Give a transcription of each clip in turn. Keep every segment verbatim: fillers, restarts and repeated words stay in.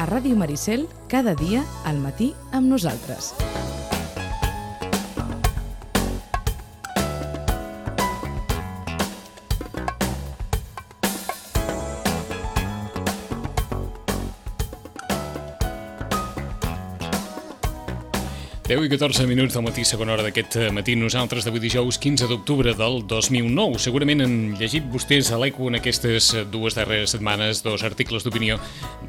Ràdio Maricel, cada dia al matí amb nosaltres. deu i catorze minuts del matí, segona hora d'aquest matí. Nosaltres d'avui dijous quinze d'octubre del dos mil nou. Segurament han llegit vostès a l'Eco en aquestes dues darreres setmanes dos articles d'opinió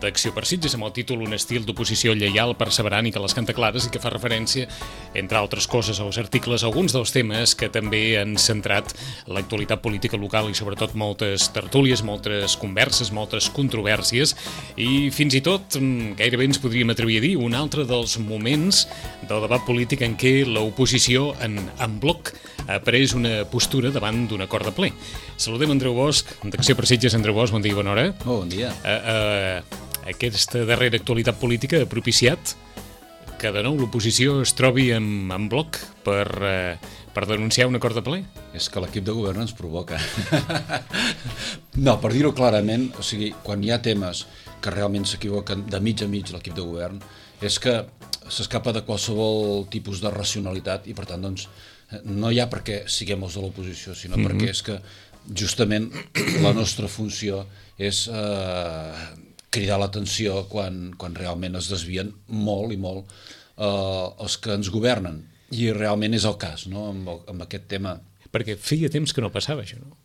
d'Acció per Sitges amb el títol Un estil d'oposició lleial, perseverant i que les canta clares, i que fa referència, entre altres coses, als articles, alguns dels temes que també han centrat l'actualitat política local i sobretot moltes tertúlies, moltes converses, moltes controvèrsies i fins i tot, gairebé ens podríem atrevir a dir, un altre dels moments del debat polític en què l'oposició en, en bloc ha pres una postura davant d'un acord de ple. Saludem Andreu Bosch, d'Acció per Sitges. Andreu Bosch, bon dia i bona hora. Oh, bon dia. Uh, uh, aquesta darrera actualitat política ha propiciat que de nou l'oposició es trobi en, en bloc per, uh, per denunciar un acord de ple? És que l'equip de govern ens provoca. No, per dir-ho clarament, o sigui, quan hi ha temes que realment s'equivoquen de mig a mig l'equip de govern, és que s'escapa de qualsevol tipus de racionalitat i per tant doncs no hi ha perquè siguem els de l'oposició, sinó mm-hmm. perquè és que justament la nostra funció és eh, cridar l'atenció quan, quan realment es desvien molt i molt eh, els que ens governen, i realment és el cas, no? amb, el, amb aquest tema. Perquè feia temps que no passava això, no?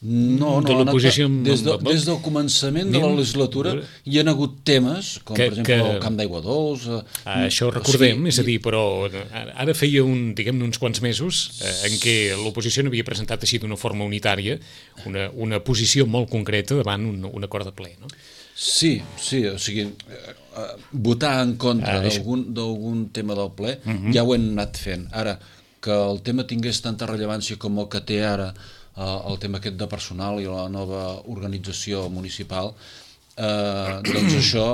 No, no, de l'oposició amb, des, de, des del començament de la legislatura hi ha hagut temes, com que, per exemple que... el Camp d'Aigua Dols... Ah, això ho recordem, o sigui, és a dir, però ara feia un, diguem-ne uns quants mesos eh, en què l'oposició n'havia presentat així d'una forma unitària una, una posició molt concreta davant un, un acord de ple, no? Sí, sí, o sigui, eh, votar en contra ah, d'algun, d'algun tema del ple uh-huh. ja ho hem anat fent. Ara, que el tema tingués tanta rellevància com el que té ara el tema aquest de personal i la nova organització municipal, eh, doncs això,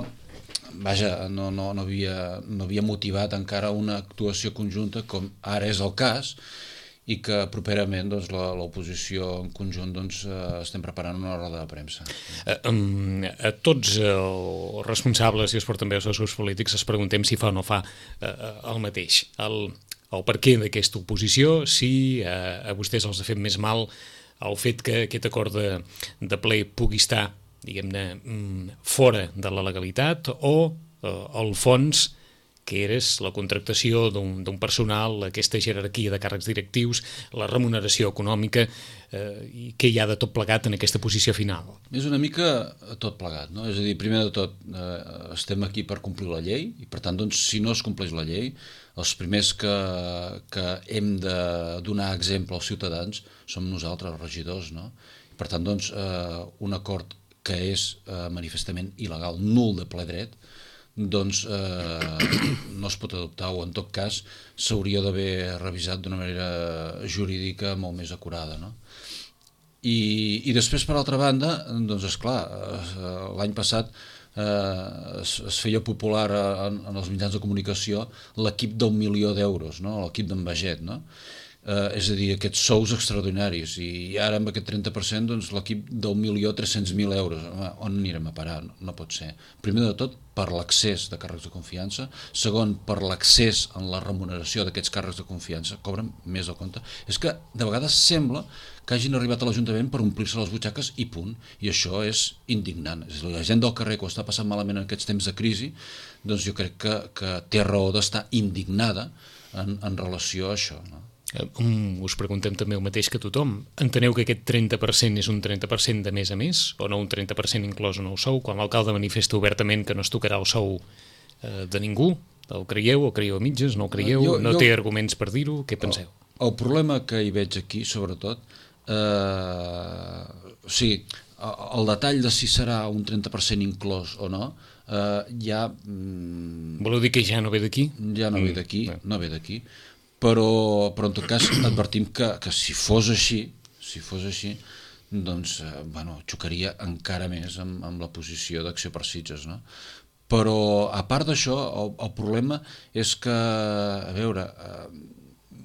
vaja, no, no, no, havia, no havia motivat encara una actuació conjunta com ara és el cas, i que properament doncs, l'oposició en conjunt doncs, eh, estem preparant una roda de premsa. A, a tots els responsables i els portaveus dels grups polítics es preguntem si fa o no fa eh, el mateix. El, el per què d'aquesta oposició, si eh, a vostès els ha fet més mal el fet que aquest acord de, de ple pugui estar, diguem-ne, fora de la legalitat, o eh, el fons, que és la contractació d'un, d'un personal, aquesta jerarquia de càrrecs directius, la remuneració econòmica, eh, i què hi ha de tot plegat en aquesta posició final? És una mica tot plegat, no? És a dir, primer de tot, eh, estem aquí per complir la llei, i per tant, doncs, si no es compleix la llei, els primers que, que hem de donar exemple als ciutadans som nosaltres, els regidors, no? Per tant, doncs, eh, un acord que és eh, manifestament il·legal, nul de ple dret, doncs eh, no es pot adoptar, o en tot cas s'hauria d'haver revisat d'una manera jurídica molt més acurada, no? I, i després, per altra banda, doncs esclar, l'any passat eh, es, es feia popular en, en els mitjans de comunicació l'equip d'un milió d'euros, no? L'equip d'en Baget, no? Eh, és a dir, aquests sous extraordinaris, i ara amb aquest trenta per cent doncs, l'equip del milió tres-cents mil euros. On anirem a parar? No, no pot ser. Primer de tot, per l'accés de càrrecs de confiança. Segon, per l'accés en la remuneració d'aquests càrrecs de confiança. Cobren més del compte. És que de vegades sembla que hagin arribat a l'Ajuntament per omplir-se les butxaques i punt. I això és indignant. És a dir, la gent del carrer que ho està passant malament en aquests temps de crisi, doncs jo crec que, que té raó d'estar indignada en, en relació a això, no? Um, us preguntem també el mateix que tothom. Enteneu que aquest trenta per cent és un trenta per cent de més a més, o no un trenta per cent inclòs en el sou, quan l'alcalde manifesta obertament que no es tocarà el sou eh, de ningú? El creieu o creieu a mitges? No el creieu? Jo, no jo, té arguments per dir-ho? Què penseu? El, el problema que hi veig aquí, sobretot, eh, o sigui, el detall de si serà un trenta per cent inclòs o no, eh, ja... Mm, voleu dir que ja no ve d'aquí? Ja no ve d'aquí, mm, no ve d'aquí. Però, però en tot cas advertim que, que si fos així, si fos així, doncs eh, bueno, xocaria encara més amb, amb la posició d'Acció per Sitges, no? Però a part d'això, el, el problema és que, a veure, eh,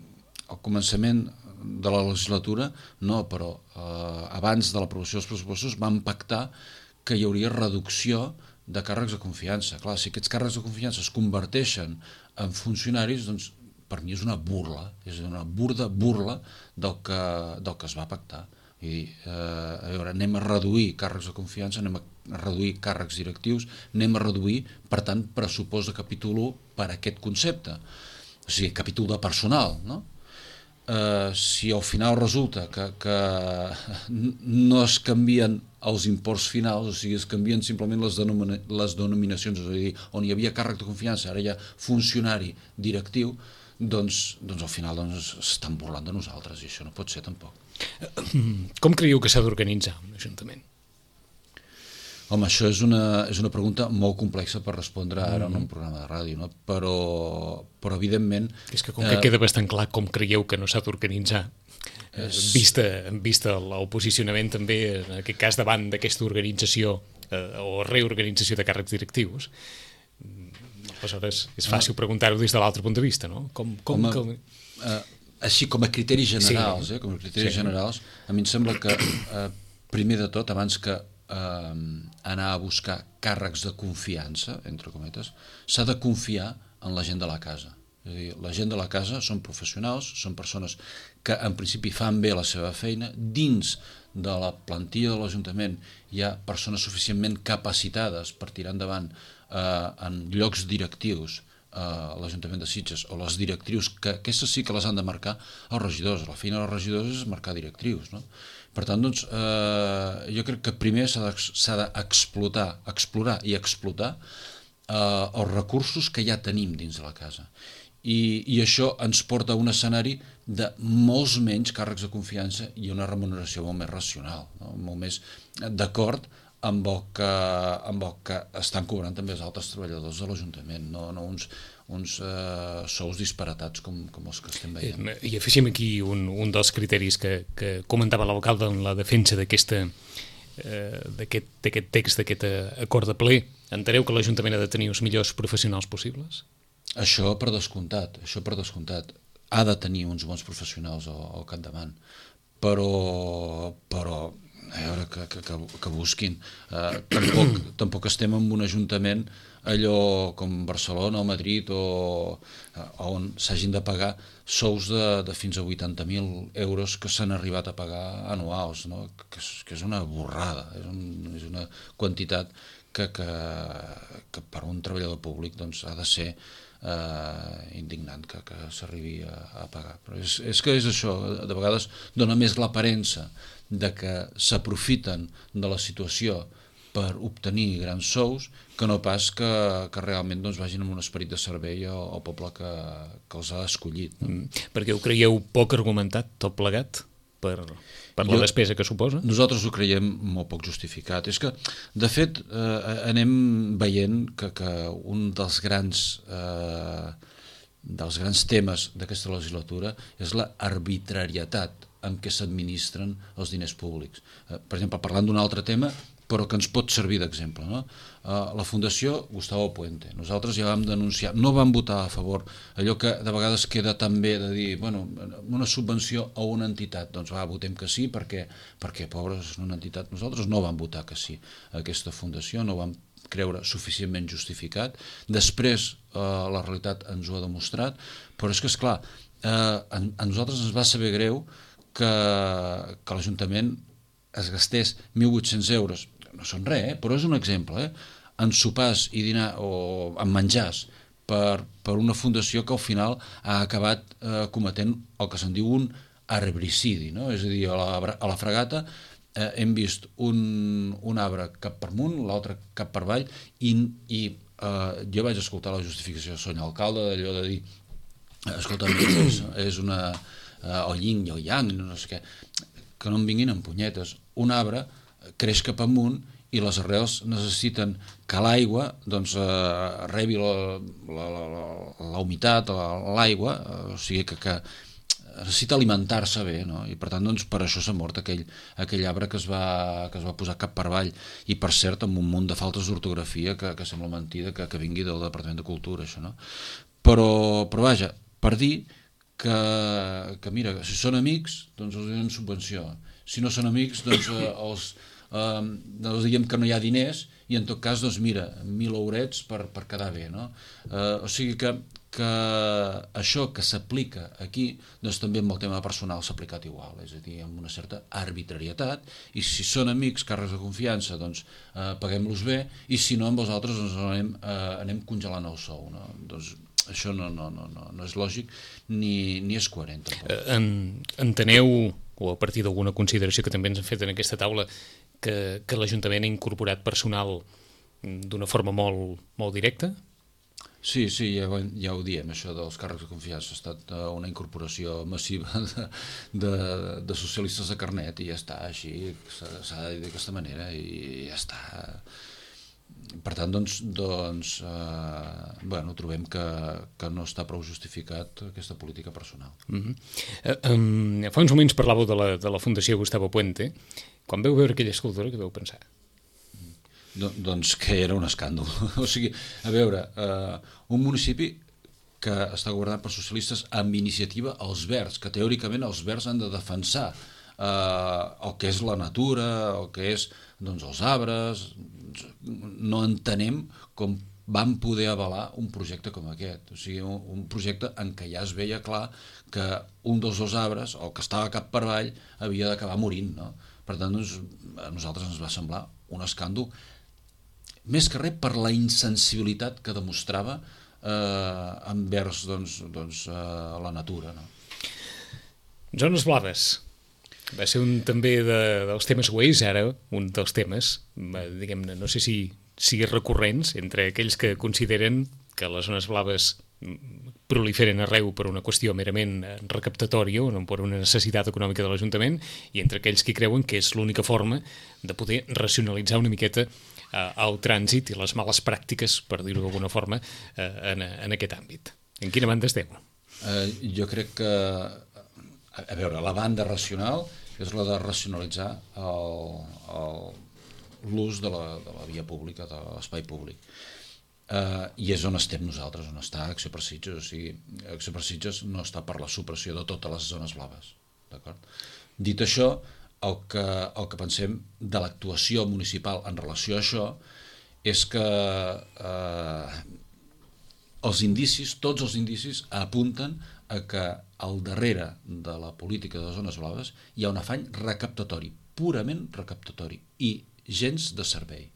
al començament de la legislatura, no, però eh, abans de l'aprovació dels pressupostos vam pactar que hi hauria reducció de càrrecs de confiança. Clar, si aquests càrrecs de confiança es converteixen en funcionaris, doncs per mi és una burla, és una burda burla del que, del que es va pactar. I, eh, a veure, anem a reduir càrrecs de confiança, anem a reduir càrrecs directius, anem a reduir, per tant, pressupost de capítol u per aquest concepte. O sigui, capítol de personal, no? Eh, si al final resulta que, que no es canvien els imports finals, o sigui, es canvien simplement les, denomina les denominacions, és a dir, on hi havia càrrec de confiança, ara hi ha funcionari directiu, doncs, doncs al final doncs, s'estan burlant de nosaltres, i això no pot ser tampoc. Com creieu que s'ha d'organitzar un ajuntament? Home, això és una, és una pregunta molt complexa per respondre ara en un programa de ràdio, no? però, però evidentment... És que com que eh, queda bastant clar com creieu que no s'ha d'organitzar, és... vista, vista el posicionament també, en aquest cas, davant d'aquesta organització eh, o reorganització de càrrecs directius, aleshores és fàcil preguntar-ho des de l'altre punt de vista, no? Com, com, Home, com... Eh, així com a criteris generals, sí. eh, com a criteris sí. generals, a mi em sembla que, eh, primer de tot, abans que eh, anar a buscar càrrecs de confiança, entre cometes, s'ha de confiar en la gent de la casa. És a dir, la gent de la casa són professionals, són persones que en principi fan bé la seva feina. Dins de la plantilla de l'Ajuntament hi ha persones suficientment capacitades per tirar endavant eh, en llocs directius a l'Ajuntament de Sitges, o les directrius, que aquestes sí que les han de marcar els regidors. La feina dels regidors és marcar directrius, no? Per tant, doncs, eh, jo crec que primer s'ha d'explotar, explorar i explotar eh, els recursos que ja tenim dins de la casa. I, i això ens porta a un escenari de molts menys càrrecs de confiança i una remuneració molt més racional, no? Molt més d'acord amb el, que, amb el que estan cobrant també els altres treballadors de l'Ajuntament, no, no uns, uns uh, sous disparatats com, com els que estem veient. I afegim aquí un, un dels criteris que, que comentava l'alcalde en la defensa d'aquest eh, text, d'aquest acord de ple. Enteneu que l'Ajuntament ha de tenir els millors professionals possibles? Això per descomptat, això per descomptat. Ha de tenir uns bons professionals al, al capdavant, però... però a veure, que, que, que busquin. Uh, tampoc, tampoc estem en un ajuntament allò com Barcelona o Madrid o uh, on s'hagin de pagar sous de, de fins a vuitanta mil euros que s'han arribat a pagar anuals, no? que, és, que és una borrada, és, un, és una quantitat que, que, que per un treballador públic doncs, ha de ser uh, indignant que, que s'arribi a, a pagar. Però és, és que és això, de vegades dona més l'aparença de que s'aprofiten de la situació per obtenir grans sous, que no pas que, que realment doncs, vagin amb un esperit de servei al, al poble que, que els ha escollit. No? Mm, perquè ho creieu poc argumentat, tot plegat, per, per la jo, despesa que suposa? Nosaltres ho creiem molt poc justificat. És que, de fet, eh, anem veient que, que un dels grans... Eh, dels grans temes d'aquesta legislatura és la arbitrarietat amb què s'administren els diners públics. Eh, per exemple, parlant d'un altre tema, però que ens pot servir d'exemple, no? Eh, la Fundació Gustavo Puente. Nosaltres ja vam denunciar, no vam votar a favor, allò que de vegades queda també de dir, bueno, una subvenció a una entitat, doncs va, votem que sí, perquè, perquè pobres, és una entitat. Nosaltres no vam votar que sí a aquesta fundació, no vam creure suficientment justificat. Després eh, la realitat ens ho ha demostrat, però és que, esclar, eh, a, a nosaltres ens va saber greu que, que l'Ajuntament es gastés mil vuit-cents euros, no són res, eh, però és un exemple, eh, en sopars i dinar o en menjars per, per una fundació que al final ha acabat eh, cometent el que se'n diu un arbricidi, no? És a dir, a la, a la Fragata Eh, hem vist un, un arbre cap per amunt, l'altre cap per avall, i, i eh, jo vaig escoltar la justificació del senyor alcalde, d'allò de dir, escolta, és, és una eh, o yin o yang, no sé què, que no em vinguin amb punyetes. Un arbre creix cap amunt i les arrels necessiten que l'aigua doncs, eh, rebi la, la, la, la, la humitat, l'aigua, eh, o sigui que, que necessita alimentar-se bé, no? I per tant doncs, per això s'ha mort aquell, aquell arbre que es, va, que es va posar cap per avall, i per cert amb un munt de faltes d'ortografia que, que sembla mentida que, que vingui del Departament de Cultura, això, no? Però, però vaja, per dir que, que mira, si són amics doncs els donen subvenció, si no són amics doncs eh, els, eh, doncs diguem que no hi ha diners i en tot cas, doncs mira, mil eurets per, per quedar bé, no? Eh, o sigui que, que això que s'aplica aquí, doncs també amb el tema personal s'ha aplicat igual, és a dir, amb una certa arbitrarietat, i si són amics, càrrecs de confiança, doncs eh, paguem-los bé, i si no, amb els altres doncs anem, eh, anem congelant el sou, no? Doncs això no, no, no, no, no és lògic ni, ni és coherent. En, enteneu, o a partir d'alguna consideració que també ens han fet en aquesta taula, que, que l'Ajuntament ha incorporat personal d'una forma molt, molt directa? Sí, sí, ja, ja ho diem, això dels càrrecs de confiança ha estat una incorporació massiva de, de, de socialistes de carnet i ja està, així s'ha de dir d'aquesta manera i ja està. Per tant, doncs, doncs eh, bueno, trobem que, que no està prou justificat aquesta política personal. Mm-hmm. eh, um, fa uns moments parlàveu de la, de la Fundació Gustavo Puente. Quan veu veure aquella escultura, què veu pensar? Do, doncs que era un escàndol. O sigui, a veure, eh, un municipi que està governat per socialistes amb iniciativa als Verds, que teòricament els Verds han de defensar eh, el que és la natura, el que és doncs, els arbres. No entenem com van poder avalar un projecte com aquest. O sigui, un, un projecte en què ja es veia clar que un dels dos arbres, el que estava cap per avall, havia d'acabar morint, no? Per tant, doncs, a nosaltres ens va semblar un escàndol, més que res per la insensibilitat que demostrava eh, envers doncs, doncs, eh, la natura, no? Zones blaves. Va ser un també de, dels temes, o és ara un dels temes, diguem-ne, no sé si, si recurrents, entre aquells que consideren que les zones blaves proliferen arreu per una qüestió merament recaptatòria o no per una necessitat econòmica de l'Ajuntament, i entre aquells que creuen que és l'única forma de poder racionalitzar una miqueta eh, el trànsit i les males pràctiques, per dir-ho d'alguna forma, eh, en, en aquest àmbit. En quina banda esteu? Eh, jo crec que, a veure, la banda racional és la de racionalitzar l'ús de, la, de la via pública, de l'espai públic. Uh, i és on estem nosaltres, on està Acció per Sitges. O sigui, Acció per Sitges no està per la supressió de totes les zones blaves, d'acord? Dit això, el que, el que pensem de l'actuació municipal en relació a això és que uh, els indicis, tots els indicis apunten a que al darrere de la política de les zones blaves hi ha un afany recaptatori, purament recaptatori, i gens de servei.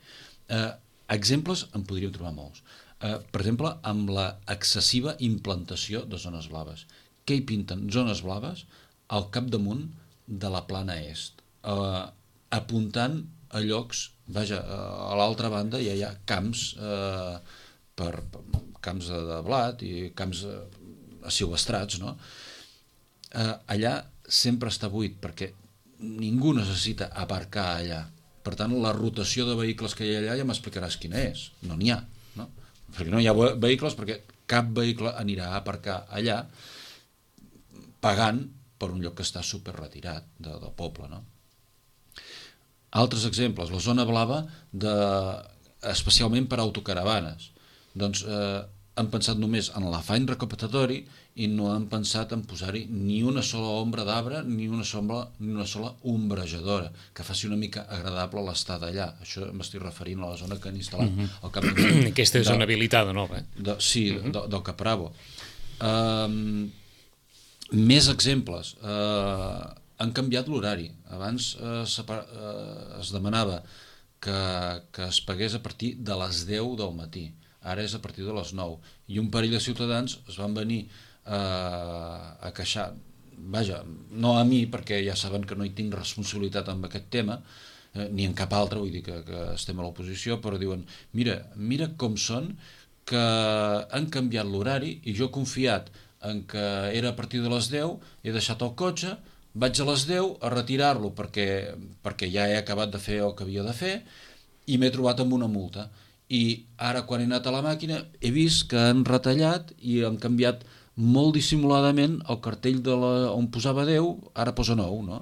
Eh, exemples en podríem trobar molts. Eh, per exemple, amb la excessiva implantació de zones blaves. Què hi pinten? Zones blaves al capdamunt de la plana est, eh, apuntant a llocs, vaja, a l'altra banda ja hi ha camps, eh, per, per camps de, de blat i camps eh, silvestrats, no? Eh, allà sempre està buit perquè ningú necessita aparcar allà. Per tant, la rotació de vehicles que hi ha allà ja m'explicaràs quina és. No n'hi ha, no? Perquè no hi ha vehicles perquè cap vehicle anirà a aparcar allà pagant per un lloc que està super retirat de, del poble, no? Altres exemples, la zona blava de, especialment per autocaravanes. Doncs eh, han pensat només en l'afany recaptatori i no han pensat en posar-hi ni una sola ombra d'arbre ni una sola, ni una sola ombrejadora que faci una mica agradable l'estada allà. Això m'estic referint a la zona que han instal·lat uh-huh. al cap de... Aquesta de, zona habilitada nova. Eh? De, sí, uh-huh. de, del Capravo. Um, més exemples. Uh, han canviat l'horari. Abans uh, separa, uh, es demanava que, que es pagués a partir de les deu del matí. Ara és a partir de les nou. I un parell de ciutadans es van venir eh, a queixar, vaja, no a mi, perquè ja saben que no hi tinc responsabilitat en aquest tema, eh, ni en cap altre, vull dir que, que estem a l'oposició, però diuen, mira, mira com són, que han canviat l'horari i jo he confiat en que era a partir de les deu, he deixat el cotxe, vaig a les deu a retirar-lo perquè, perquè ja he acabat de fer el que havia de fer i m'he trobat amb una multa. I ara quan he anat a la màquina he vist que han retallat i han canviat molt dissimuladament el cartell de la, on posava deu, ara posa nou, no?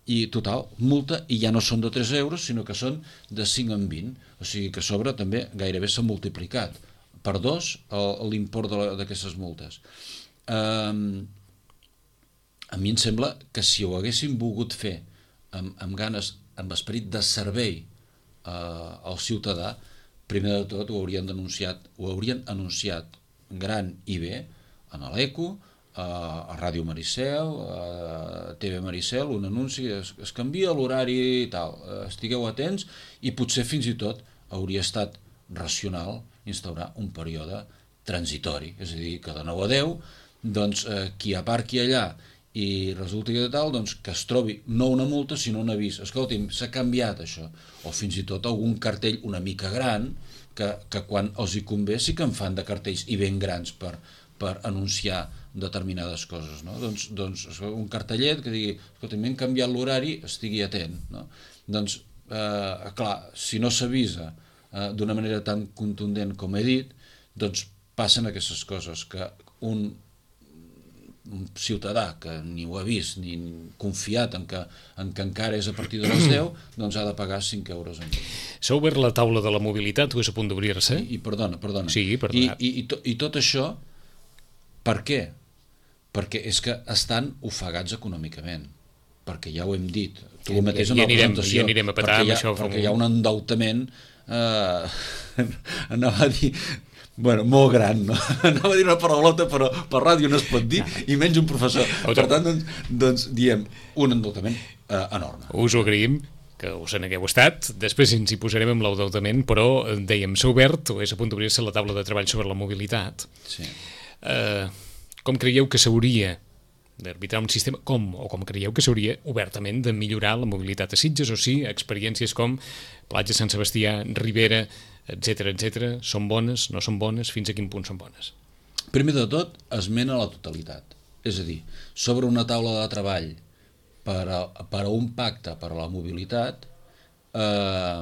I total, multa, i ja no són de tres euros, sinó que són de cinc en vint. O sigui que a sobre també gairebé s'ha multiplicat per dos l'import d'aquestes multes. Um, a mi em sembla que si ho haguéssim volgut fer amb, amb ganes amb esperit de servei eh, al ciutadà, primer de tot ho haurien denunciat, ho haurien anunciat gran i bé en l'Eco, a Ràdio Maricel, a T V Maricel, un anunci, es, es canvia l'horari i tal, estigueu atents, i potser fins i tot hauria estat racional instaurar un període transitori, és a dir, que de nou a deu, doncs eh, qui aparqui allà i resulta que tal, doncs que es trobi no una multa sinó un avís, escolti'm, s'ha canviat això, o fins i tot algun cartell una mica gran que, que quan els hi convé sí que en fan de cartells i ben grans per, per anunciar determinades coses, no? Doncs, doncs un cartellet que digui, escolta, m'hem canviat l'horari, estigui atent, no? Doncs, eh, clar, si no s'avisa eh, d'una manera tan contundent com he dit, doncs passen aquestes coses, que un, un ciutadà que ni ho ha vist ni confiat en que, en que encara és a partir de les deu, doncs ha de pagar cinc euros en més. S'ha obert la taula de la mobilitat o és a punt d'obrir-se? I, i perdona, perdona. Sí, perdona. I, i, i, to, I tot això, per què? Perquè és que estan ofegats econòmicament, perquè ja ho hem dit, tu mateix en la presentació, ja anirem a petar perquè, hi ha, això, perquè hi ha un endeutament, eh, anava a dir, bueno, molt gran, no? Anava a dir una paraulota, però per ràdio no es pot dir, i menys un professor. Per tant, doncs, doncs diem, un endeutament eh, enorme. Us ho agraïm, que us en hagueu estat, després ens hi posarem amb l'endeutament, però dèiem, s'ha obert o és a punt d'obrir-se la taula de treball sobre la mobilitat. Sí. Eh... Com creieu que s'hauria d'arbitrar un sistema, com o com creieu que s'hauria obertament de millorar la mobilitat a Sitges, o sí, experiències com Platja Sant Sebastià, Ribera, etcètera, etcètera, són bones, no són bones, fins a quin punt són bones? Primer de tot, esmena la totalitat. És a dir, sobre una taula de treball per a, per a un pacte per a la mobilitat, eh,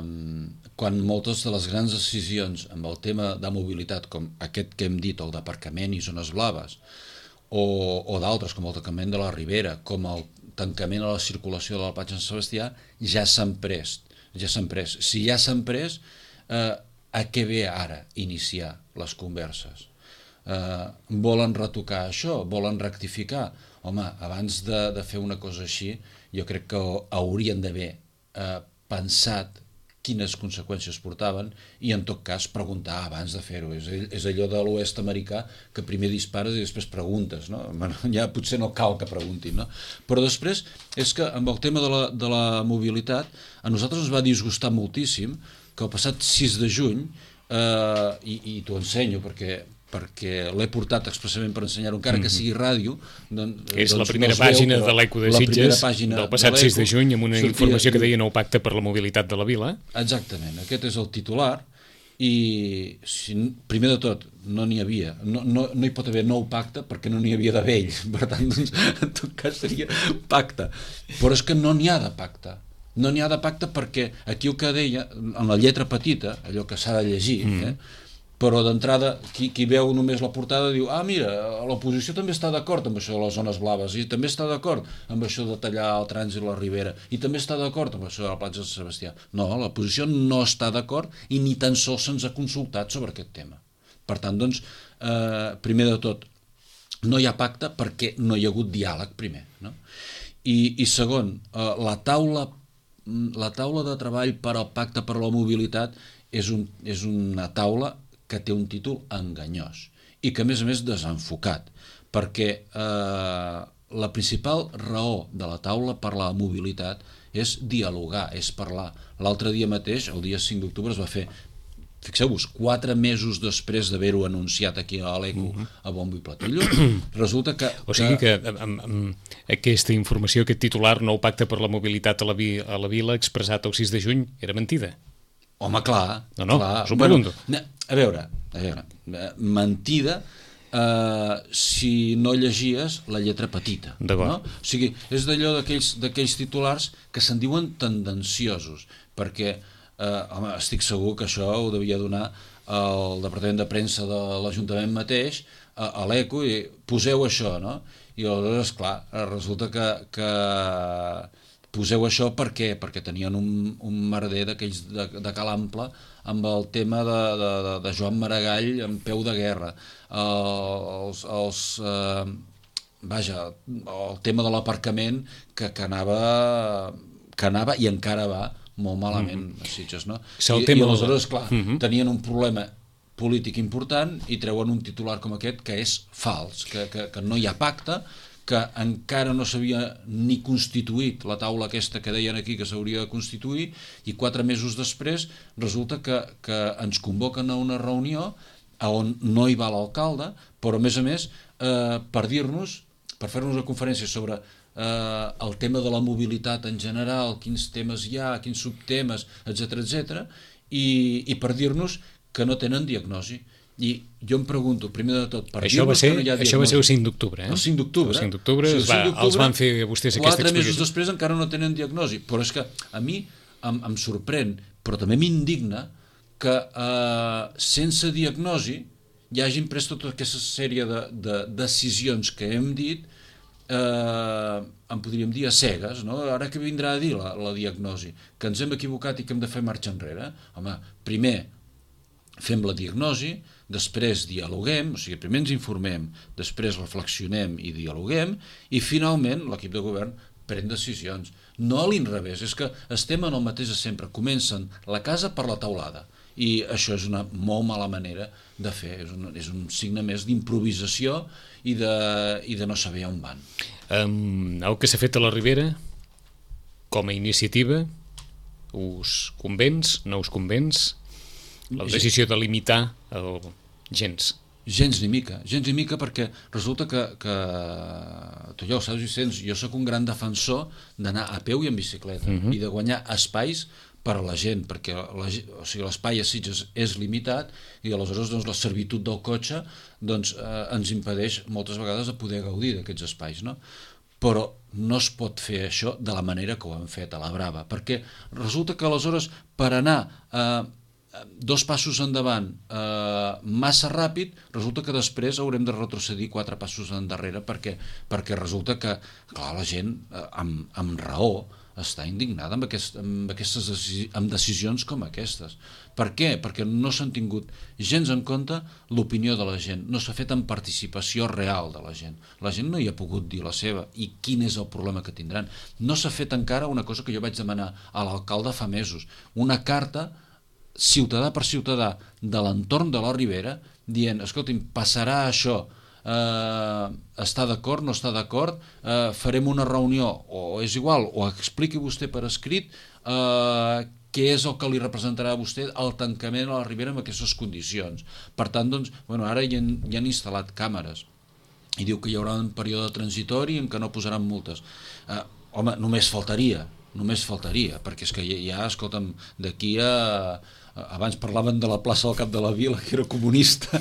quan moltes de les grans decisions amb el tema de mobilitat, com aquest que hem dit, el d'aparcament i zones blaves, o, o d'altres, com el tancament de la Ribera, com el tancament a la circulació de la platja de Sant Sebastià, ja s'han pres. Ja s'han pres. Si ja s'han pres, eh, a què ve ara iniciar les converses? Eh, volen retocar això? Volen rectificar? Home, abans de, de fer una cosa així, jo crec que haurien d'haver eh, pensat quines conseqüències portaven i en tot cas preguntar abans de fer-ho. És, és allò de l'oest americà que primer dispares i després preguntes, no? Bueno, ja potser no cal que preguntin, no? Però després és que amb el tema de la, de la mobilitat a nosaltres ens va disgustar moltíssim que el passat sis de juny, eh, i, i t'ho ensenyo perquè perquè l'he portat expressament per ensenyar-ho, encara que sigui ràdio. Doncs, és doncs la primera no veu, pàgina de l'Eco de Sitges del passat sis de juny, amb una sortia, informació que deia nou pacte per la mobilitat de la vila. Exactament, aquest és el titular, i si, primer de tot no n'hi havia, no, no, no hi pot haver nou pacte perquè no n'hi havia de vell, per tant, doncs, en tot cas seria pacte. Però és que no n'hi ha de pacte. No n'hi ha de pacte perquè aquí el que deia, en la lletra petita, allò que s'ha de llegir, mm. eh, però d'entrada qui, qui veu només la portada diu, ah mira, l'oposició també està d'acord amb això de les zones blaves, i també està d'acord amb això de tallar el trànsit a la Ribera, i també està d'acord amb això de la platja de Sant Sebastià. No, l'oposició no està d'acord i ni tan sols se'ns ha consultat sobre aquest tema. Per tant, doncs, eh, primer de tot, no hi ha pacte perquè no hi ha hagut diàleg primer, no? I, i segon, eh, la taula la taula de treball per al pacte per la mobilitat és, un, és una taula que té un títol enganyós i que a més a més desenfocat, perquè eh, la principal raó de la taula per la mobilitat és dialogar, és parlar. L'altre dia mateix, el dia cinc d'octubre, es va fer, fixeu-vos, quatre mesos després d'haver-ho anunciat aquí a l'Eco uh-huh. a bombo i platillo, resulta que... O sigui que, que amb, amb aquesta informació, aquest titular, nou pacte per la mobilitat a la, vi, a la vila, expressat el sis de juny, era mentida. Home, clar. No, no, clar. us ho pregunto. Bueno, a veure, a veure, mentida eh, si no llegies la lletra petita. D'acord. No? O sigui, és d'allò d'aquells titulars que se'n diuen tendenciosos, perquè eh, home, estic segur que això ho devia donar el Departament de Premsa de l'Ajuntament mateix, a, a l'Eco, i poseu això, no? I aleshores, clar, resulta que... que poseu això per què? Perquè tenien un, un merder d'aquells de, de Cal Ample amb el tema de, de, de Joan Maragall en peu de guerra, uh, els, els, uh, vaja, el tema de l'aparcament que, que anava que anava i encara va molt malament mm -hmm. a Sitges, no? I, I aleshores, clar, mm -hmm. tenien un problema polític important i treuen un titular com aquest que és fals, que, que, que no hi ha pacte, que encara no s'havia ni constituït la taula aquesta que deien aquí que s'hauria de constituir, i quatre mesos després resulta que, que ens convoquen a una reunió on no hi va l'alcalde, però a més a més eh, per dir-nos, per fer-nos una conferència sobre eh, el tema de la mobilitat en general, quins temes hi ha, quins subtemes, etcètera, etcètera, i, i per dir-nos que no tenen diagnosi. I jo em pregunto, primer de tot, per això va dir-nos ser, que no hi ha diagnosi. Això va ser el cinc d'octubre, eh? El cinc d'octubre. El cinc d'octubre, sí, els van fer vostès aquesta explicació. Quatre mesos després encara no tenen diagnosi. Però és que a mi em, em sorprèn, però també m'indigna que eh, sense diagnosi hi hagin pres tota aquesta sèrie de, de decisions que hem dit, eh, en podríem dir a cegues, no? Ara que vindrà a dir la, la diagnosi? Que ens hem equivocat i que hem de fer marxa enrere? Home, primer fem la diagnosi, després dialoguem, o sigui, primer ens informem, després reflexionem i dialoguem, i finalment l'equip de govern pren decisions. No a l'inrevés, és que estem en el mateix de sempre, comencen la casa per la teulada, i això és una molt mala manera de fer, és un, és un signe més d'improvisació i de, i de no saber on van. Um, el que s'ha fet a la Ribera, com a iniciativa, us convenç, no us convenç? La decisió de limitar el gens. Gens ni mica, gens ni mica, perquè resulta que, que tu ja ho saps, Vicenç, jo sóc un gran defensor d'anar a peu i en bicicleta, uh-huh. i de guanyar espais per a la gent, perquè la, o sigui, l'espai a Sitges és limitat i aleshores doncs, la servitud del cotxe doncs, eh, ens impedeix moltes vegades de poder gaudir d'aquests espais, no? Però no es pot fer això de la manera que ho han fet a la brava, perquè resulta que aleshores per anar eh, dos passos endavant eh, massa ràpid, resulta que després haurem de retrocedir quatre passos endarrere perquè, perquè resulta que clar, la gent eh, amb, amb raó està indignada amb, aquest, amb aquestes decisi amb decisions com aquestes. Per què? Perquè no s'han tingut gens en compte l'opinió de la gent, no s'ha fet en participació real de la gent. La gent no hi ha pogut dir la seva i quin és el problema que tindran. No s'ha fet encara una cosa que jo vaig demanar a l'alcalde fa mesos, una carta ciutadà per ciutadà de l'entorn de la Ribera dient, escolti'm, passarà això, eh, està d'acord, no està d'acord, eh, farem una reunió, o és igual, o expliqui vostè per escrit eh, què és el que li representarà a vostè el tancament a la Ribera amb aquestes condicions. Per tant, doncs, bueno, ara hi han, hi han instal·lat càmeres i diu que hi haurà un període transitori en què no posaran multes. Eh, home, només faltaria, només faltaria, perquè és que ja, escolta'm, d'aquí a... abans parlaven de la plaça del Cap de la Vila, que era comunista,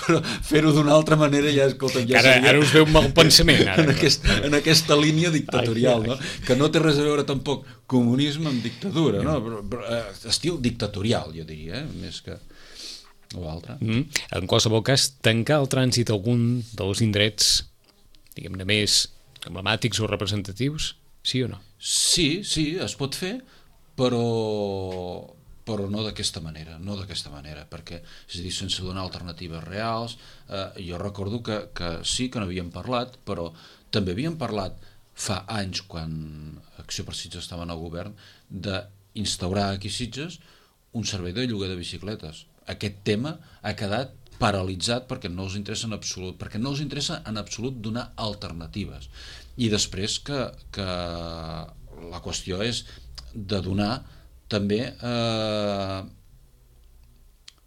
però fer-ho d'una altra manera ja, escolta, ja ara, seria... Ara us veu mal pensament, ara. En, aquest, en aquesta línia dictatorial, ai, ai. No? Que no té res a veure tampoc comunisme amb dictadura, no? Però, però, estil dictatorial, jo diria, eh? Més que o altre. Mm. En qualsevol cas, tancar el trànsit a algun dels indrets, diguem-ne, més emblemàtics o representatius, sí o no? Sí, sí, es pot fer, però... però no d'aquesta manera, no d'aquesta manera, perquè, és a dir, sense donar alternatives reals. Eh, jo recordo que, que sí que n'havíem parlat, però també havíem parlat fa anys, quan Acció per Sitges estava en el govern, d'instaurar aquí a Sitges un servei de lloguer de bicicletes. Aquest tema ha quedat paralitzat perquè no els interessa en absolut, perquè no els interessa en absolut donar alternatives. I després que, que la qüestió és de donar també eh,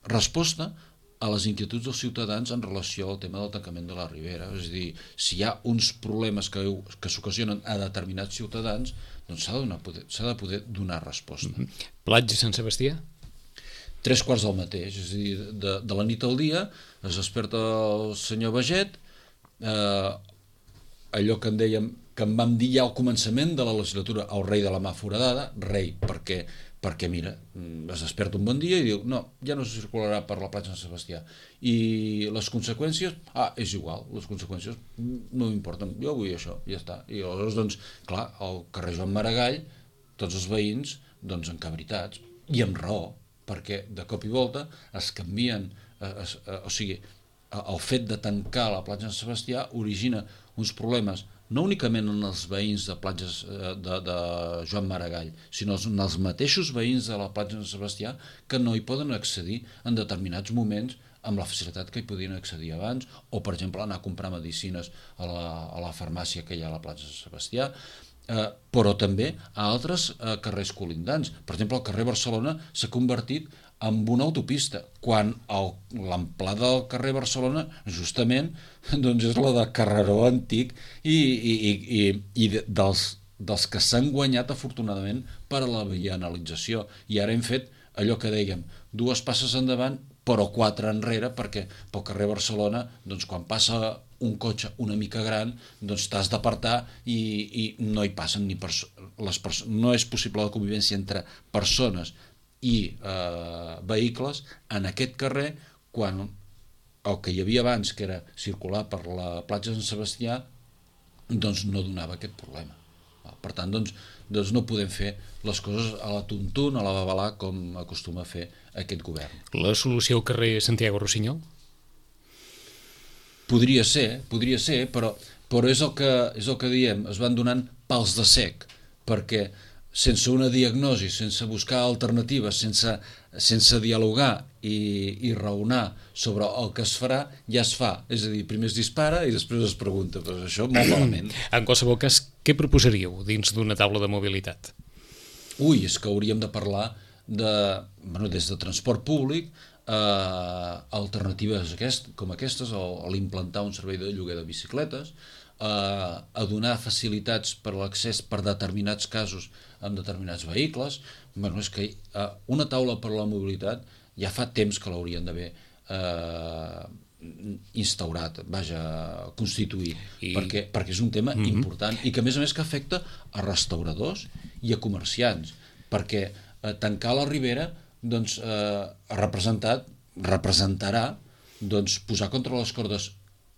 resposta a les inquietuds dels ciutadans en relació al tema del tancament de la Ribera. És a dir, si hi ha uns problemes que, que s'ocasionen a determinats ciutadans, doncs s'ha de, donar, s'ha de poder donar resposta. Mm-hmm. Platja Sant Sebastià? Tres quarts del mateix, és a dir, de, de la nit al dia es desperta el senyor Baget, eh, allò que en dèiem, que em vam dir ja al començament de la legislatura, el rei de la mà foradada, rei, perquè, perquè mira, es desperta un bon dia i diu, no, ja no se circularà per la platja de Sant Sebastià. I les conseqüències, ah, és igual, les conseqüències no m'importen, jo vull això, ja està. I aleshores, doncs, clar, al carrer Joan Maragall, tots els veïns, doncs, encabritats, i amb raó, perquè de cop i volta es canvien, es, es, o sigui, el fet de tancar la platja de Sant Sebastià origina uns problemes no únicament en els veïns de platges de, de Joan Maragall, sinó en els mateixos veïns de la platja de Sant Sebastià que no hi poden accedir en determinats moments amb la facilitat que hi podien accedir abans, o per exemple anar a comprar medicines a la, a la farmàcia que hi ha a la platja de Sant Sebastià, eh, però també a altres eh, carrers colindants. Per exemple, el carrer Barcelona s'ha convertit en una autopista, quan l'amplada del carrer Barcelona justament doncs és la de carreró antic i, i, i, i dels, dels que s'han guanyat afortunadament per a la vianalització. I ara hem fet allò que dèiem, dues passes endavant però quatre enrere, perquè pel carrer Barcelona, doncs, quan passa un cotxe una mica gran, doncs t'has d'apartar i, i no hi passen ni perso- les perso- no és possible la convivència entre persones i eh, vehicles en aquest carrer, quan el que hi havia abans, que era circular per la platja de Sant Sebastià, doncs no donava aquest problema. Per tant, doncs, doncs no podem fer les coses a la tuntun, a la babalà, com acostuma a fer aquest govern. La solució al carrer Santiago Rossinyol? Podria ser, podria ser, però, però és, el que, és el que diem, es van donant pals de sec, perquè sense una diagnosi, sense buscar alternatives, sense, sense dialogar i, i raonar sobre el que es farà, ja es fa. És a dir, primer es dispara i després es pregunta, però això molt malament. En qualsevol cas, què proposaríeu dins d'una taula de mobilitat? Ui, és que hauríem de parlar de, bueno, des de transport públic, eh, alternatives aquest, com aquestes, o, o l'implantar un servei de lloguer de bicicletes, eh, a donar facilitats per a l'accés per determinats casos amb determinats vehicles. Bueno, és que eh, una taula per a la mobilitat ja fa temps que l'haurien d'haver eh, instaurat, vaja, constituït, I... perquè, perquè és un tema mm-hmm. important i que a més a més que afecta a restauradors i a comerciants, perquè eh, tancar la Ribera doncs, eh, ha representat, representarà doncs, posar contra les cordes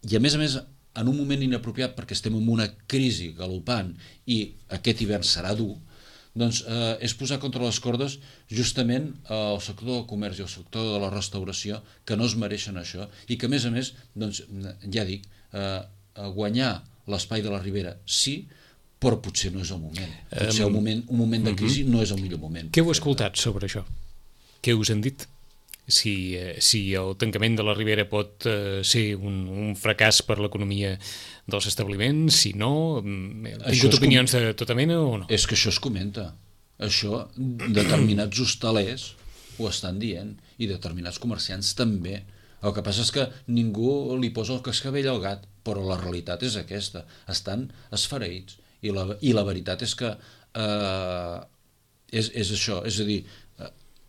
i a més a més en un moment inapropiat perquè estem en una crisi galopant i aquest hivern serà dur, doncs eh, és posar contra les cordes justament eh, el sector del comerç i el sector de la restauració que no es mereixen això i que a més a més, doncs, ja dic, eh, guanyar l'espai de la Ribera sí, però potser no és el moment. Potser um, un moment, un moment de crisi uh-huh. no és el millor moment. Què heu escoltat sobre això? Què us han dit? Si, eh, si el tancament de la Ribera pot eh, ser un, un fracàs per l'economia dels establiments, si no, heu tingut opinions com... de tota mena o no? És que això es comenta. Això determinats hostalers ho estan dient i determinats comerciants també. El que passa és que ningú li posa el cascavell al gat, però la realitat és aquesta. Estan esfereïts. I la, i la veritat és que eh, és, és això, és a dir,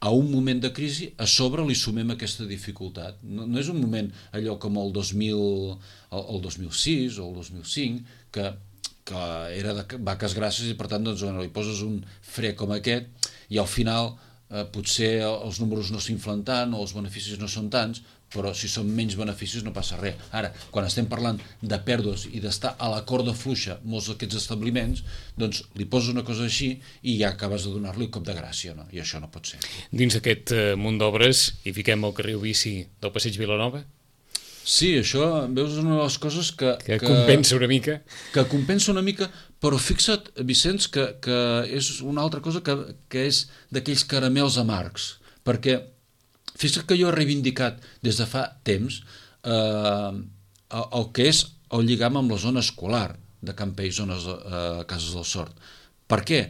a un moment de crisi, a sobre li sumem aquesta dificultat. No, no és un moment allò com el dos mil, el, el dos mil sis o el dos mil cinc, que, que era de vaques grasses i per tant doncs, bueno, li poses un fre com aquest i al final eh, potser els números no s'inflen tant o els beneficis no són tants, però si són menys beneficis no passa res. Ara, quan estem parlant de pèrdues i d'estar a la corda fluixa molts d'aquests establiments, doncs li poses una cosa així i ja acabes de donar-li un cop de gràcia, no? I això no pot ser. Dins d'aquest uh, munt d'obres hi fiquem el carril bici del Passeig Vilanova? Sí, això, veus, és una de les coses que... Que, que compensa una mica. Que compensa una mica, però fixa't, Vicenç, que, que és una altra cosa que, que és d'aquells caramels amargs, perquè fixa't que jo he reivindicat des de fa temps eh, el que és el lligam amb la zona escolar de Campell, zones eh, Cases del Sort. Per què?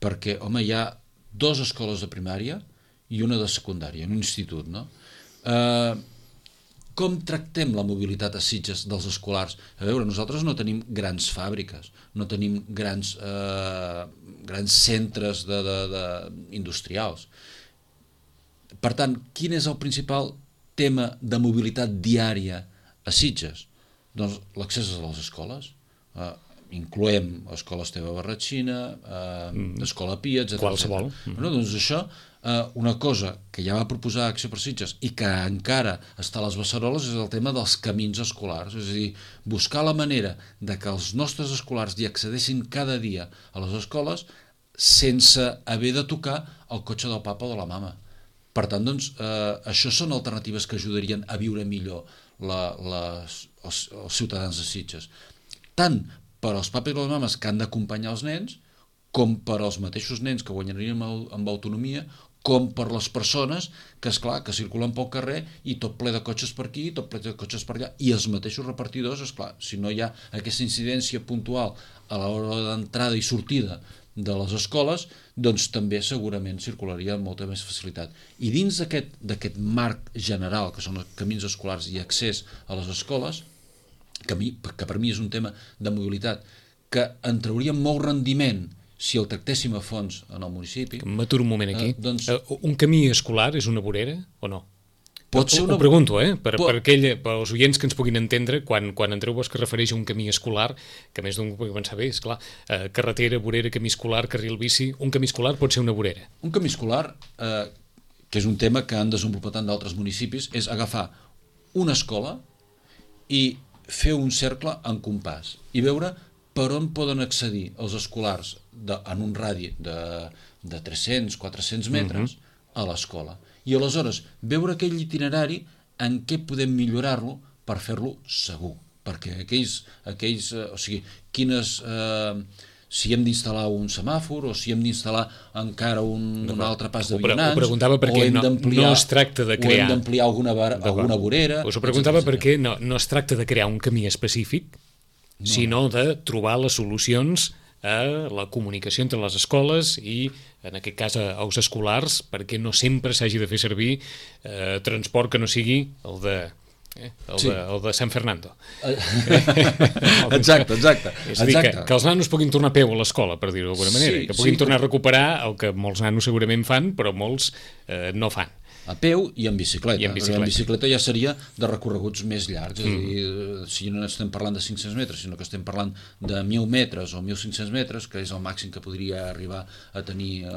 Perquè, home, hi ha dues escoles de primària i una de secundària, un institut, no? Eh, com tractem la mobilitat a Sitges dels escolars? A veure, nosaltres no tenim grans fàbriques, no tenim grans, eh, grans centres de, de, de, industrials. Per tant, quin és el principal tema de mobilitat diària a Sitges? Doncs l'accés a les escoles. Eh, incloem Escola Esteve Barratxina, eh, mm. Escola Pia, etcètera. Qualsevol. Mm. Bueno, doncs això, eh, una cosa que ja va proposar Acció per Sitges i que encara està a les beceroles és el tema dels camins escolars. És a dir, buscar la manera de que els nostres escolars hi accedeixin cada dia a les escoles sense haver de tocar el cotxe del papa o de la mama. Per tant, doncs, eh, això són alternatives que ajudarien a viure millor la, les, els, els ciutadans de Sitges. Tant per als papis i les mames que han d'acompanyar els nens, com per als mateixos nens que guanyarien amb, amb autonomia, com per les persones que, esclar, que circulen pel carrer i tot ple de cotxes per aquí, tot ple de cotxes per allà, i els mateixos repartidors, esclar, si no hi ha aquesta incidència puntual a l'hora d'entrada i sortida de les escoles, doncs també segurament circularia amb molta més facilitat. I dins d'aquest d'aquest marc general, que són els camins escolars i accés a les escoles, que, mi, que per mi és un tema de mobilitat, que en trauria molt rendiment si el tractéssim a fons en el municipi... M'aturo un moment aquí. Eh, doncs, uh, un camí escolar és una vorera o no? Pot ser una... Ho pregunto, eh? Per, pot... per, aquell, per als oients que ens puguin entendre, quan, quan Andreu Bosch refereix a un camí escolar, que més d'un pugui pensar bé, esclar, eh, carretera, vorera, camí escolar, carril bici, un camí escolar pot ser una vorera. Un camí escolar, eh, que és un tema que han desenvolupat en d'altres municipis, és agafar una escola i fer un cercle en compàs i veure per on poden accedir els escolars de, en un radi de, de tres-cents a quatre-cents metres uh-huh. a l'escola. I aleshores veure aquell itinerari en què podem millorar-lo per fer-lo segur. Perquè aquells, aquells eh, o sigui, quines... Eh, si hem d'instal·lar un semàfor o si hem d'instal·lar encara un, un altre pas de vianants, ho preguntava perquè no, no es tracta de crear... o hem d'ampliar alguna, alguna vorera... Us ho preguntava perquè no, no es tracta de crear un camí específic, no. sinó de trobar les solucions a la comunicació entre les escoles i, en aquest cas, als escolars, perquè no sempre s'hagi de fer servir eh, transport que no sigui el de... Eh? El, sí. de, el de San Fernando. Exacte, exacte. És a dir, que, que els nanos puguin tornar a peu a l'escola, per dir-ho d'alguna manera, sí, que puguin sí, tornar a recuperar el que molts nanos segurament fan, però molts eh, no fan. A peu i en bicicleta. I en bicicleta. En bicicleta ja seria de recorreguts més llargs, és mm. a dir, si no estem parlant de cinc-cents metres, sinó que estem parlant de mil metres o mil cinc-cents metres, que és el màxim que podria arribar a tenir eh,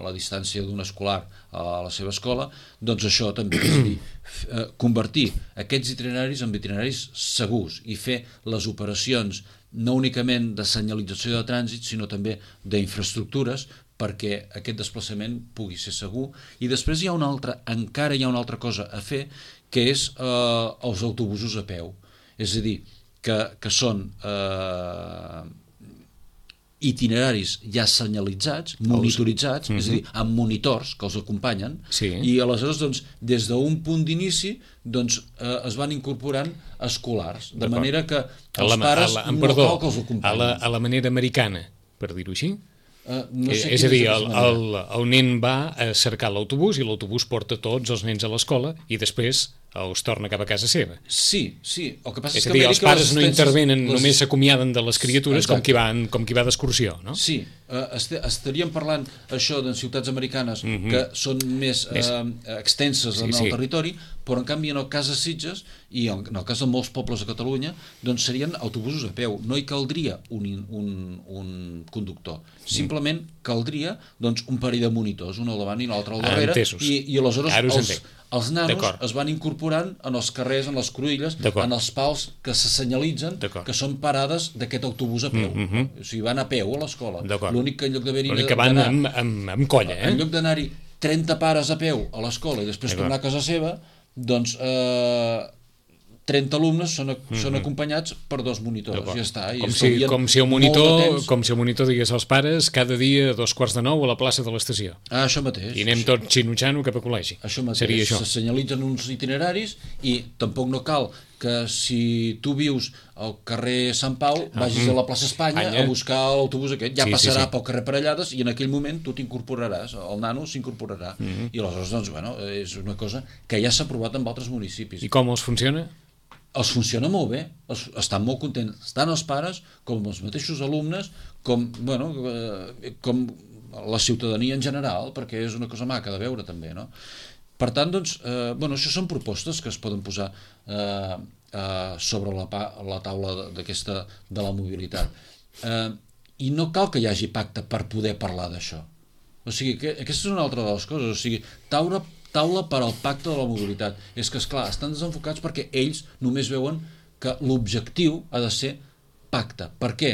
la distància d'un escolar a la seva escola, doncs això també és a dir, eh, convertir aquests itineraris en itineraris segurs i fer les operacions no únicament de senyalització de trànsit, sinó també d'infraestructures perquè aquest desplaçament pugui ser segur. I després hi ha una altra, encara hi ha una altra cosa a fer, que és eh, els autobusos a peu. És a dir, que, que són eh, itineraris ja senyalitzats, monitoritzats, els... és a dir, amb monitors que els acompanyen, sí. i aleshores, doncs, des d'un punt d'inici, doncs, eh, es van incorporant escolars, de manera que els la, pares la, no perdó, cal que els acompanyin. A la, a la manera americana, per dir-ho així? Uh, no sé és a dir, el, el, el nen va a cercar l'autobús i l'autobús porta tots els nens a l'escola i després els torna cap a casa seva. Sí, sí. El que passa és, és a dir, que els pares no intervenen, les... només s'acomiaden de les criatures com qui, van, com qui va d'excursió, no? Sí, uh, est estaríem parlant això de ciutats americanes mm -hmm. que són més, uh, més... extenses sí, en el sí. territori, però en canvi en el cas de Sitges i en el cas de molts pobles de Catalunya doncs serien autobusos a peu, no hi caldria un, un, un conductor, simplement caldria doncs, un parell de monitors, un al davant i l'altre al darrere, i, i aleshores els, els nanos es van incorporant en els carrers, en les cruïlles, en els pals que se senyalitzen que són parades d'aquest autobús a peu, mm -hmm. o sigui, van a peu a l'escola, l'únic que en lloc d'haver-hi l'únic que van amb, amb, amb colla, eh? En lloc d'anar-hi trenta pares a peu a l'escola i després tornar a casa seva, doncs eh, trenta alumnes són, mm-hmm. són acompanyats per dos monitors, ja està. I com, si, com, si el monitor, com si el monitor digués als pares cada dia a dos quarts de nou a la plaça de l'estació. Ah, això mateix. I anem això. tots xinutxano cap a col·legi. Això mateix. Seria això. Se senyalitzen uns itineraris i tampoc no cal que si tu vius al carrer Sant Pau vagis a la plaça Espanya Anya. a buscar l'autobús aquest, ja sí, passarà sí, sí. pel carrer Parellades i en aquell moment tu t'incorporaràs, el nano s'incorporarà. Mm-hmm. I aleshores, doncs, bueno, és una cosa que ja s'ha provat en altres municipis. I com els funciona? Els funciona molt bé, els, estan molt contents, tant els pares com els mateixos alumnes, com, bueno, eh, com la ciutadania en general, perquè és una cosa maca de veure també, no? Per tant, doncs, eh, bueno, això són propostes que es poden posar eh, eh, sobre la, la taula d'aquesta de la mobilitat. Eh, I no cal que hi hagi pacte per poder parlar d'això. O sigui, que aquesta és una altra de les coses, o sigui, taula taula per al pacte de la mobilitat. És que, esclar, estan desenfocats perquè ells només veuen que l'objectiu ha de ser pacte. Per què?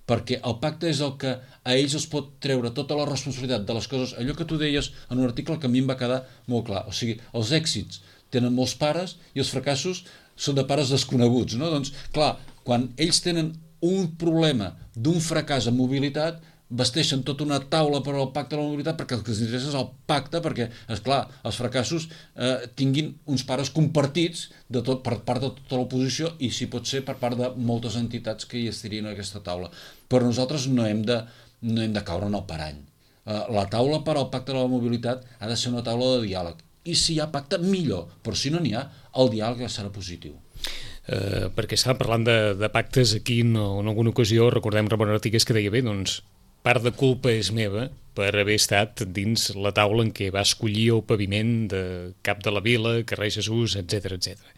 Perquè el pacte és el que a ells els pot treure tota la responsabilitat de les coses. Allò que tu deies en un article que a mi em va quedar molt clar. O sigui, els èxits tenen molts pares i els fracassos són de pares desconeguts, no? Doncs, clar, quan ells tenen un problema d'un fracàs en mobilitat, vesteixen tota una taula per al pacte de la mobilitat perquè el que els interessa és el pacte, perquè, esclar, els fracassos eh, tinguin uns pares compartits de tot, per part de tota l'oposició i, si pot ser, per part de moltes entitats que hi estirien a aquesta taula. Però nosaltres no hem de, no hem de caure en el parany. Eh, la taula per al pacte de la mobilitat ha de ser una taula de diàleg. I si hi ha pacte, millor. Però si no n'hi ha, el diàleg serà positiu. Eh, perquè estàvem parlant de, de pactes aquí en, en alguna ocasió, recordem Ramon Artigués que deia bé, doncs part de culpa és meva per haver estat dins la taula en què va escollir el paviment de Cap de la Vila, carrer Jesús, etcètera, etcètera.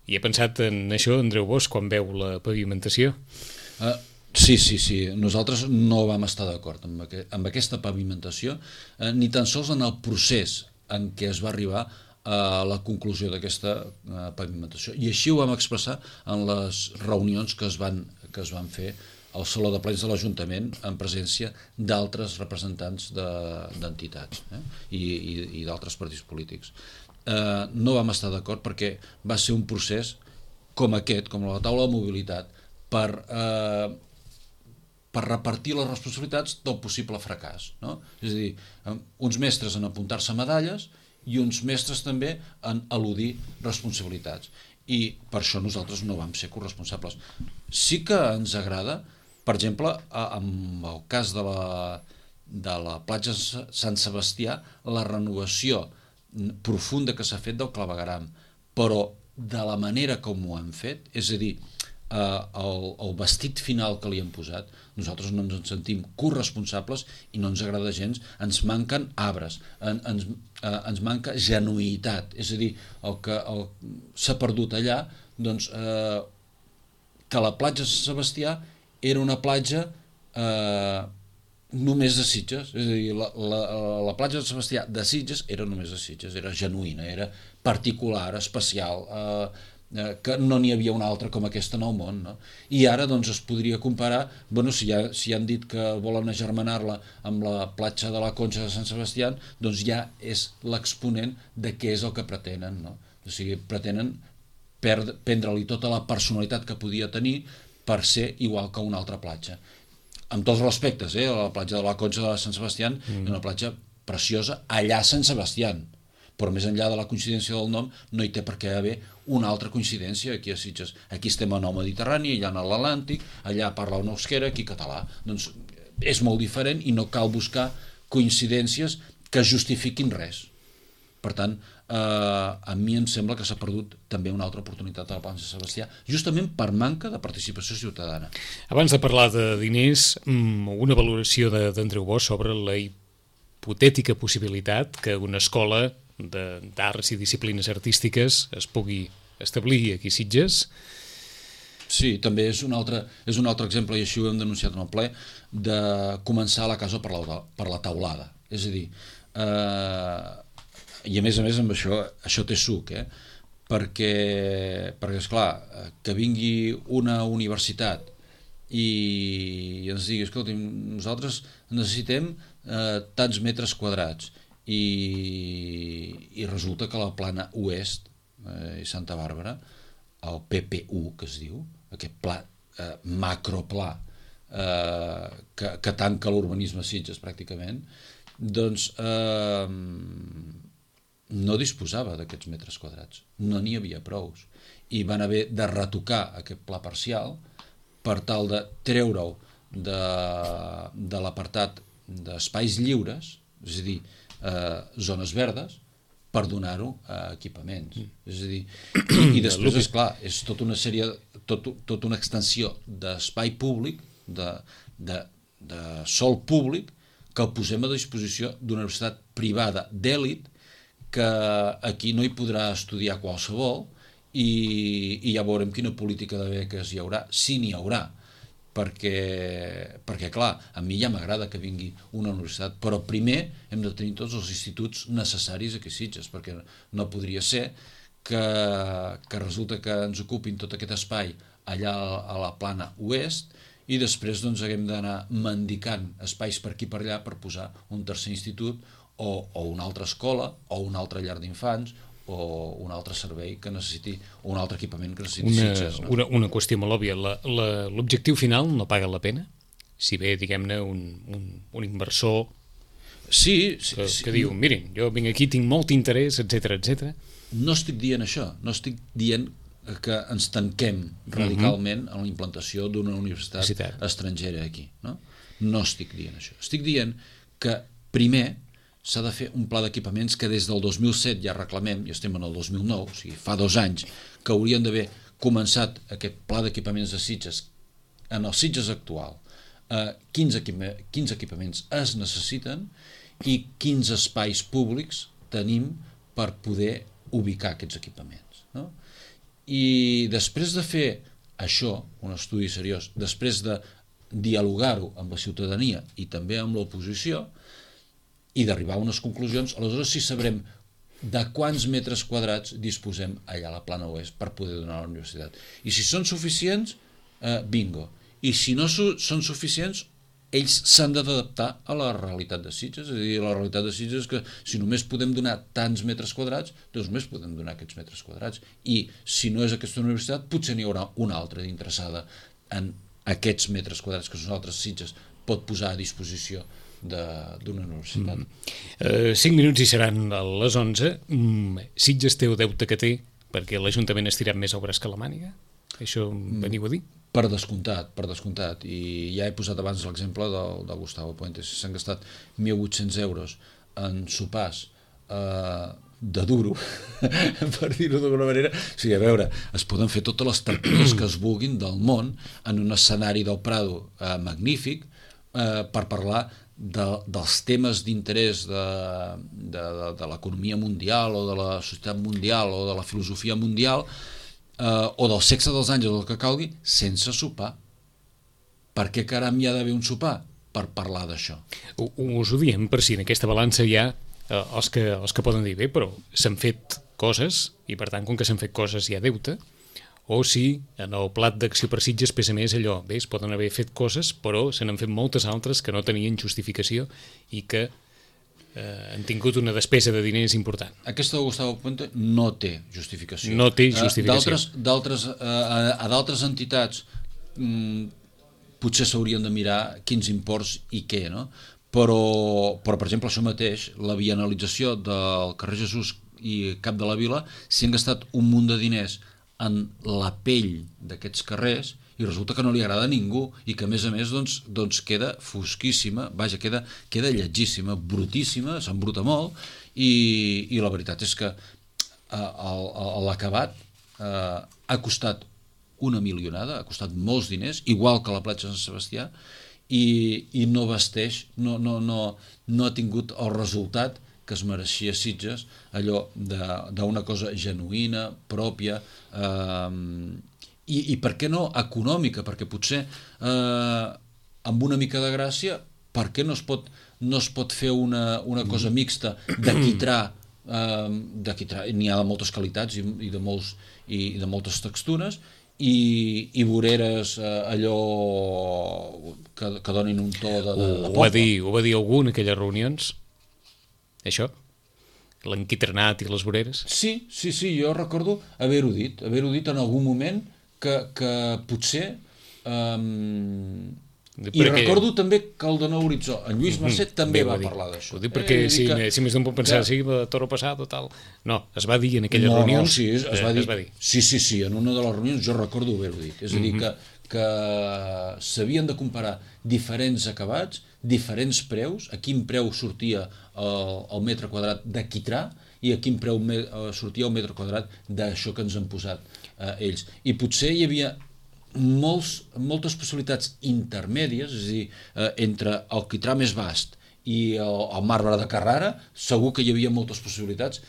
I he pensat en això, Andreu Bosch, quan veu la pavimentació? Uh, sí, sí, sí. Nosaltres no vam estar d'acord amb, aqu amb aquesta pavimentació, uh, ni tan sols en el procés en què es va arribar a la conclusió d'aquesta uh, pavimentació. I així ho vam expressar en les reunions que es van, que es van fer al Saló de Plens de l'Ajuntament en presència d'altres representants d'entitats de, eh? i, i, i d'altres partits polítics. Eh, no vam estar d'acord perquè va ser un procés com aquest, com la taula de mobilitat, per, eh, per repartir les responsabilitats del possible fracàs. No? És a dir, uns mestres en apuntar-se medalles i uns mestres també en eludir responsabilitats. I per això nosaltres no vam ser corresponsables. Sí que ens agrada, per exemple, en el cas de la, de la platja Sant Sebastià, la renovació profunda que s'ha fet del clavegueram, però de la manera com ho han fet, és a dir, eh, el, el vestit final que li han posat, nosaltres no ens en sentim corresponsables i no ens agrada gens, ens manquen arbres, en, ens, eh, ens manca genuïtat, és a dir, el que s'ha perdut allà, doncs, eh, que la platja Sant Sebastià era una platja eh, només de Sitges, és a dir, la, la, la platja de Sebastià de Sitges era només de Sitges, era genuïna, era particular, especial, eh, eh, que no n'hi havia una altra com aquesta en el món, no? I ara doncs es podria comparar, bueno, si, ja, si han dit que volen agermanar-la amb la platja de la Conxa de Sant Sebastià, doncs ja és l'exponent de què és el que pretenen, no? O sigui, pretenen prendre-li tota la personalitat que podia tenir per ser igual que una altra platja. Amb tots els respectes, eh? La platja de la Conxa de Sant Sebastià mm. és una platja preciosa allà a Sant Sebastià, però més enllà de la coincidència del nom no hi té per què haver una altra coincidència aquí a Sitges. Aquí estem en el Mediterrani, allà en l'Atlàntic, allà parla un euskera, aquí català. Doncs és molt diferent i no cal buscar coincidències que justifiquin res. Per tant, eh, a mi em sembla que s'ha perdut també una altra oportunitat a la platja de Sebastià, justament per manca de participació ciutadana. Abans de parlar de diners, una valoració d'Andreu Bosch sobre la hipotètica possibilitat que una escola d'arts i disciplines artístiques es pugui establir aquí a Sitges. Sí, també és un altre, és un altre exemple, i així ho hem denunciat en el ple, de començar la casa per la, per la taulada. És a dir, eh, i a més a més amb això, això té suc, eh? perquè, perquè esclar, que vingui una universitat i ens digui, escolta, nosaltres necessitem eh, tants metres quadrats i, i resulta que la plana oest eh, i Santa Bàrbara, el P P U que es diu, aquest pla, eh, macropla eh, que, que tanca l'urbanisme Sitges pràcticament, doncs eh, no disposava d'aquests metres quadrats, no n'hi havia prous, i van haver de retocar aquest pla parcial per tal de treure-ho de, de l'apartat d'espais lliures, és a dir, eh, zones verdes, per donar-ho a equipaments. Mm. És a dir, i, i després, esclar, és tota una sèrie, tot, tota una extensió d'espai públic, de, de, de sòl públic, que el posem a disposició d'una universitat privada d'èlit, que aquí no hi podrà estudiar qualsevol i, i ja veurem quina política de beques hi haurà, si n'hi haurà, perquè, perquè clar, a mi ja m'agrada que vingui una universitat, però primer hem de tenir tots els instituts necessaris aquí a Sitges, perquè no podria ser que, que resulta que ens ocupin tot aquest espai allà a la plana oest i després doncs haguem d'anar mendicant espais per aquí per allà per posar un tercer institut o, o una altra escola, o una altra llar d'infants, o un altre servei que necessiti, o un altre equipament que necessiti una, Sitges. No? Una, una qüestió molt òbvia, l'objectiu final no paga la pena? Si ve, diguem-ne, un, un, un inversor sí, sí, que, sí, que diu, mirin, jo vinc aquí, tinc molt interès, etcètera, etcètera. No estic dient això, no estic dient que ens tanquem radicalment en la implantació d'una universitat Universitat. estrangera aquí. No? no estic dient això. Estic dient que primer s'ha de fer un pla d'equipaments que des del dos mil set ja reclamem, i estem en el dos mil nou, o sigui, fa dos anys, que haurien d'haver començat aquest pla d'equipaments de Sitges en els Sitges actual. Eh, quins, equipa quins equipaments es necessiten i quins espais públics tenim per poder ubicar aquests equipaments. No? I després de fer això, un estudi seriós, després de dialogar-ho amb la ciutadania i també amb l'oposició, i d'arribar a unes conclusions, aleshores sí sabrem de quants metres quadrats disposem allà a la Plana Oest per poder donar a la universitat. I si són suficients, eh, bingo. I si no su són suficients, ells s'han d'adaptar a la realitat de Sitges. És a dir, la realitat de Sitges és que si només podem donar tants metres quadrats, doncs només podem donar aquests metres quadrats. I si no és aquesta universitat, potser n'hi haurà una altra interessada en aquests metres quadrats que nosaltres Sitges pot posar a disposició d'una universitat. Mm. Uh, cinc minuts i seran a les onze. Mm, Sitges té el deute que té perquè l'Ajuntament ha estirat més obres que la màniga? Això mm. veniu a dir? Per descomptat, per descomptat. I ja he posat abans l'exemple del, del Gustavo Puentes. S'han gastat mil vuit-cents euros en sopars eh, de duro, per dir-ho d'alguna manera. O sigui, a veure, es poden fer totes les tertúlies que es vulguin del món en un escenari del Prado eh, magnífic eh, per parlar de, dels temes d'interès de, de, de, de l'economia mundial o de la societat mundial o de la filosofia mundial eh, o del sexe dels àngels o el que calgui, sense sopar. Per què caram hi ha d'haver un sopar? Per parlar d'això. Us ho diem per si en aquesta balança hi ha eh, els, que, els que poden dir bé, però s'han fet coses i per tant com que s'han fet coses hi ha deute, o si en el plat d'acció per Sitges pesa més allò, bé, es poden haver fet coses però se n'han fet moltes altres que no tenien justificació i que eh, han tingut una despesa de diners important. Aquesta de Gustavo Puente no té justificació. No té justificació. Uh, d'altres uh, a d'altres entitats um, potser s'haurien de mirar quins imports i què, no? Però, però per exemple, això mateix, la vianalització del carrer Jesús i Cap de la Vila, s'hi han gastat un munt de diners en la pell d'aquests carrers i resulta que no li agrada a ningú i que a més a més doncs, doncs queda fosquíssima, vaja, queda, queda lletgíssima, brutíssima, s'embruta molt i, i la veritat és que eh, l'acabat eh, ha costat una milionada, ha costat molts diners, igual que la platja de Sant Sebastià, i, i no vesteix, no, no, no, no ha tingut el resultat que es mereixia Sitges, allò d'una cosa genuïna, pròpia, eh, i, i per què no econòmica, perquè potser eh, amb una mica de gràcia, per què no es pot, no es pot fer una, una cosa mixta de quitrà, eh, de quitrà, n'hi ha de moltes qualitats i, i, de, molts, i de moltes textures, i, i voreres eh, allò que, que donin un to de, de, de ho, va dir, ho va dir algú en aquelles reunions? Això? L'enquitrenat i les voreres? Sí, sí, sí, jo recordo haver-ho dit, haver-ho dit en algun moment que, que potser... Um, I recordo també que el de Nou Horitzó, en Lluís Mercè, també va parlar d'això. Ho dic perquè eh, si, que, si més d'un pot pensar, que... sí, la Toro Passado, tal... No, es va dir en aquelles no, reunions... No, sí, es, es, va dir, es va dir. Sí, sí, sí, en una de les reunions jo recordo haver-ho dit. És a dir, que, que s'havien de comparar diferents acabats, diferents preus, a quin preu sortia el, el metre quadrat de quitrà i a quin preu me, sortia el metre quadrat d'això que ens han posat eh, ells. I potser hi havia molts, moltes possibilitats intermèdies, és a dir, eh, entre el quitrà més vast i el, el marbre de Carrara, segur que hi havia moltes possibilitats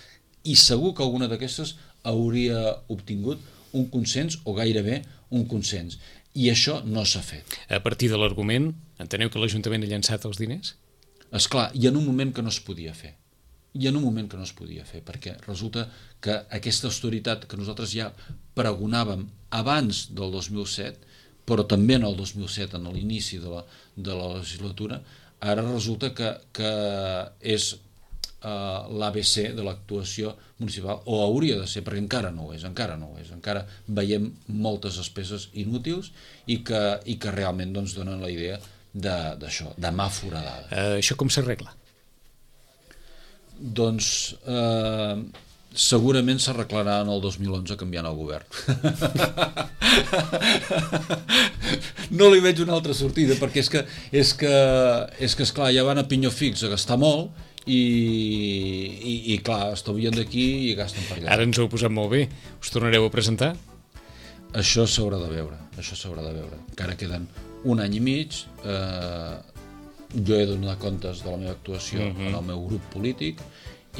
i segur que alguna d'aquestes hauria obtingut un consens o gairebé un consens. I això no s'ha fet. A partir de l'argument, enteneu que l'Ajuntament ha llançat els diners? Esclar, i en un moment que no es podia fer. I en un moment que no es podia fer, perquè resulta que aquesta austeritat que nosaltres ja pregonàvem abans del dos mil set, però també en el dos mil set, en l'inici de, la, de la legislatura, ara resulta que, que és uh, l'A B C de l'actuació municipal, o hauria de ser, perquè encara no ho és, encara no ho és, encara veiem moltes despeses inútils i que, i que realment doncs, donen la idea d'això, de, de mà foradada. Uh, això com s'arregla? Doncs eh, segurament s'arreglarà en el dos mil onze canviant el govern. No li veig una altra sortida, perquè és que, és que, és que esclar, ja van a pinyó fix a gastar molt i, i, i clar, estalvien d'aquí i gasten per allà. Ara ens ho heu posat molt bé. Us tornareu a presentar? Això s'haurà de veure, això s'haurà de veure. Encara queden un any i mig, eh, jo he de donar comptes de la meva actuació uh-huh. en el meu grup polític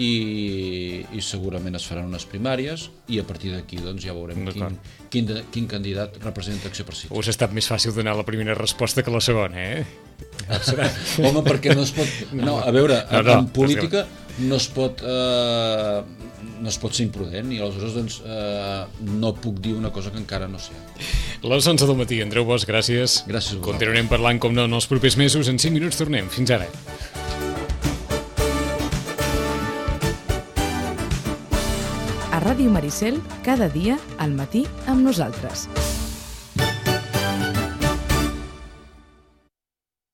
i, i segurament es faran unes primàries i a partir d'aquí doncs, ja veurem quin, quin, quin candidat representa Acció per Sitges. Us ha estat més fàcil donar la primera resposta que la segona, eh? Home, perquè no es pot... No, a veure, no, no, en política no es pot... Eh, no es pot ser imprudent i aleshores doncs, eh, no puc dir una cosa que encara no sé. Les onze del matí, Andreu Bosch, gràcies. Gràcies a vosaltres. Continuarem parlant, com no, en els propers mesos. En cinc minuts tornem. Fins ara. A Ràdio Maricel, cada dia, al matí, amb nosaltres.